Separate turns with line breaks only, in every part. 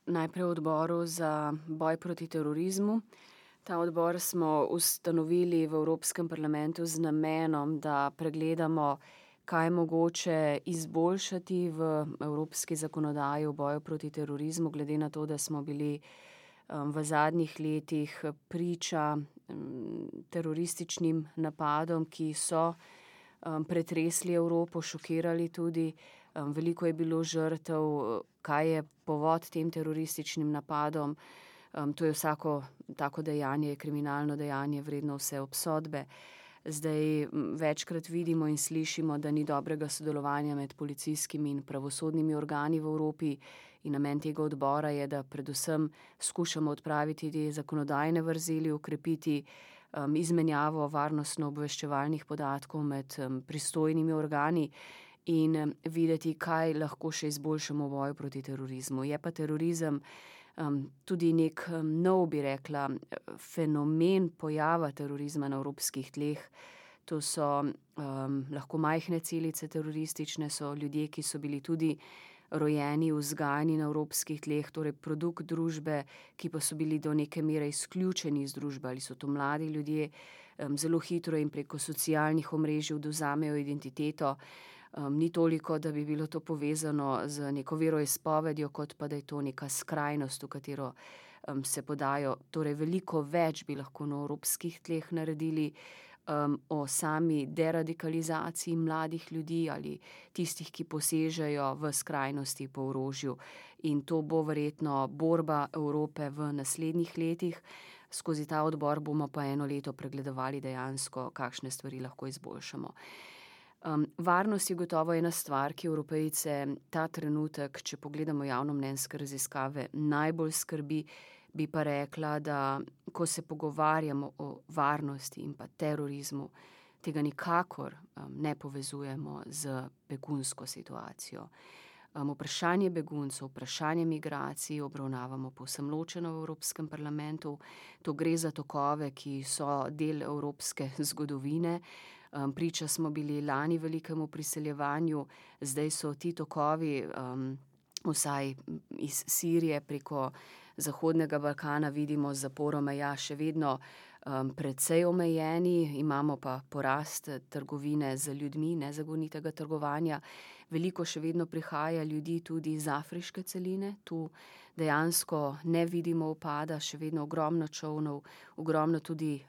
najprej v odboru za boj proti terorizmu. Ta odbor smo ustanovili v Evropskem parlamentu z namenom, da pregledamo, kaj je mogoče izboljšati v evropski zakonodaji v boju proti terorizmu, glede na to, da smo bili v zadnjih letih priča terorističnim napadom, ki so pretresli Evropo, šokirali tudi. Veliko je bilo žrtev, kaj je povod tem terorističnim napadom. To je vsako tako dejanje, kriminalno dejanje, vredno vse obsodbe. Zdaj večkrat vidimo in slišimo, da ni dobrega sodelovanja med policijskimi in pravosodnimi organi v Evropi in namen tega odbora je, da predvsem skušamo odpraviti te zakonodajne vrzeli, okrepiti izmenjavo varnostno-obveščevalnih podatkov med pristojnimi organi in videti, kaj lahko še izboljšamo v boju proti terorizmu. Je pa terorizem tudi nek nov, bi rekla, fenomen pojava terorizma na evropskih tleh. To so lahko majhne celice teroristične, so ljudje, ki so bili tudi rojeni, vzgajani na evropskih tleh, torej produkt družbe, ki pa so bili do neke mere izključeni iz družbe, ali so to mladi ljudje, zelo hitro in preko socialnih omrežij odvzamejo identiteto. Ni toliko, da bi bilo to povezano z neko veroizpovedjo, kot pa da je to neka skrajnost, v katero se podajo. Torej veliko več bi lahko na evropskih tleh naredili o sami deradikalizaciji mladih ljudi ali tistih, ki posežejo v skrajnosti po orožju. In to bo verjetno borba Evrope v naslednjih letih. Skozi ta odbor bomo pa eno leto pregledovali dejansko, kakšne stvari lahko izboljšamo. Varnost je gotovo ena stvar, ki Evropejce ta trenutek, če pogledamo javnomnenjske raziskave, najbolj skrbi. Bi pa rekla, da ko se pogovarjamo o varnosti in pa terorizmu, tega nikakor ne povezujemo z begunsko situacijo. Vprašanje beguncev, vprašanje migracij obravnavamo povsem ločeno v Evropskem parlamentu. To gre za tokove, ki so del evropske zgodovine. Priča smo bili lani velikemu priseljevanju, zdaj so ti tokovi vsaj iz Sirije preko Zahodnega Balkana, vidimo z zaporo meja, še vedno precej omejeni, imamo pa porast trgovine z ljudmi, nezakonitega trgovanja. Veliko še vedno prihaja ljudi tudi iz afriške celine, tu dejansko ne vidimo upada, še vedno ogromno čolnov, ogromno tudi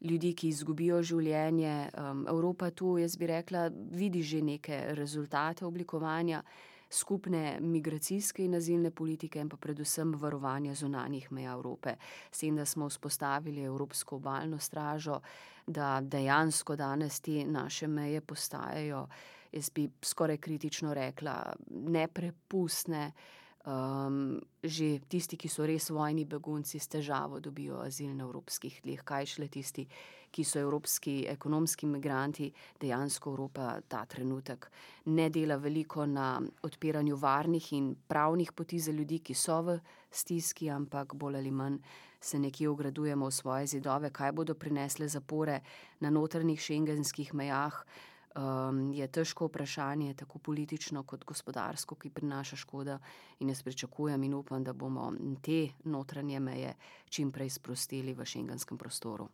ljudi, ki izgubijo življenje. Evropa tu, jaz bi rekla, vidi že neke rezultate oblikovanja skupne migracijske in azilne politike in pa predvsem varovanja zunanjih meja Evrope. S tem, da smo vzpostavili Evropsko obalno stražo, da dejansko danes te naše meje postajajo, jaz bi skoraj kritično rekla, neprepustne. Že tisti, ki so res vojni begunci, s težavo dobijo azil na evropskih tleh, kaj šele tisti, ki so evropski ekonomski migranti. Dejansko Evropa ta trenutek ne dela veliko na odpiranju varnih in pravnih poti za ljudi, ki so v stiski, ampak bolj ali manj se nekje ogradujemo v svoje zidove, kaj bodo prinesle zapore na notranjih schengenskih mejah. Je težko vprašanje, tako politično kot gospodarsko, ki prinaša škoda in jaz pričakujem in upam, da bomo te notranje meje čim prej sprostili v schengenskem prostoru.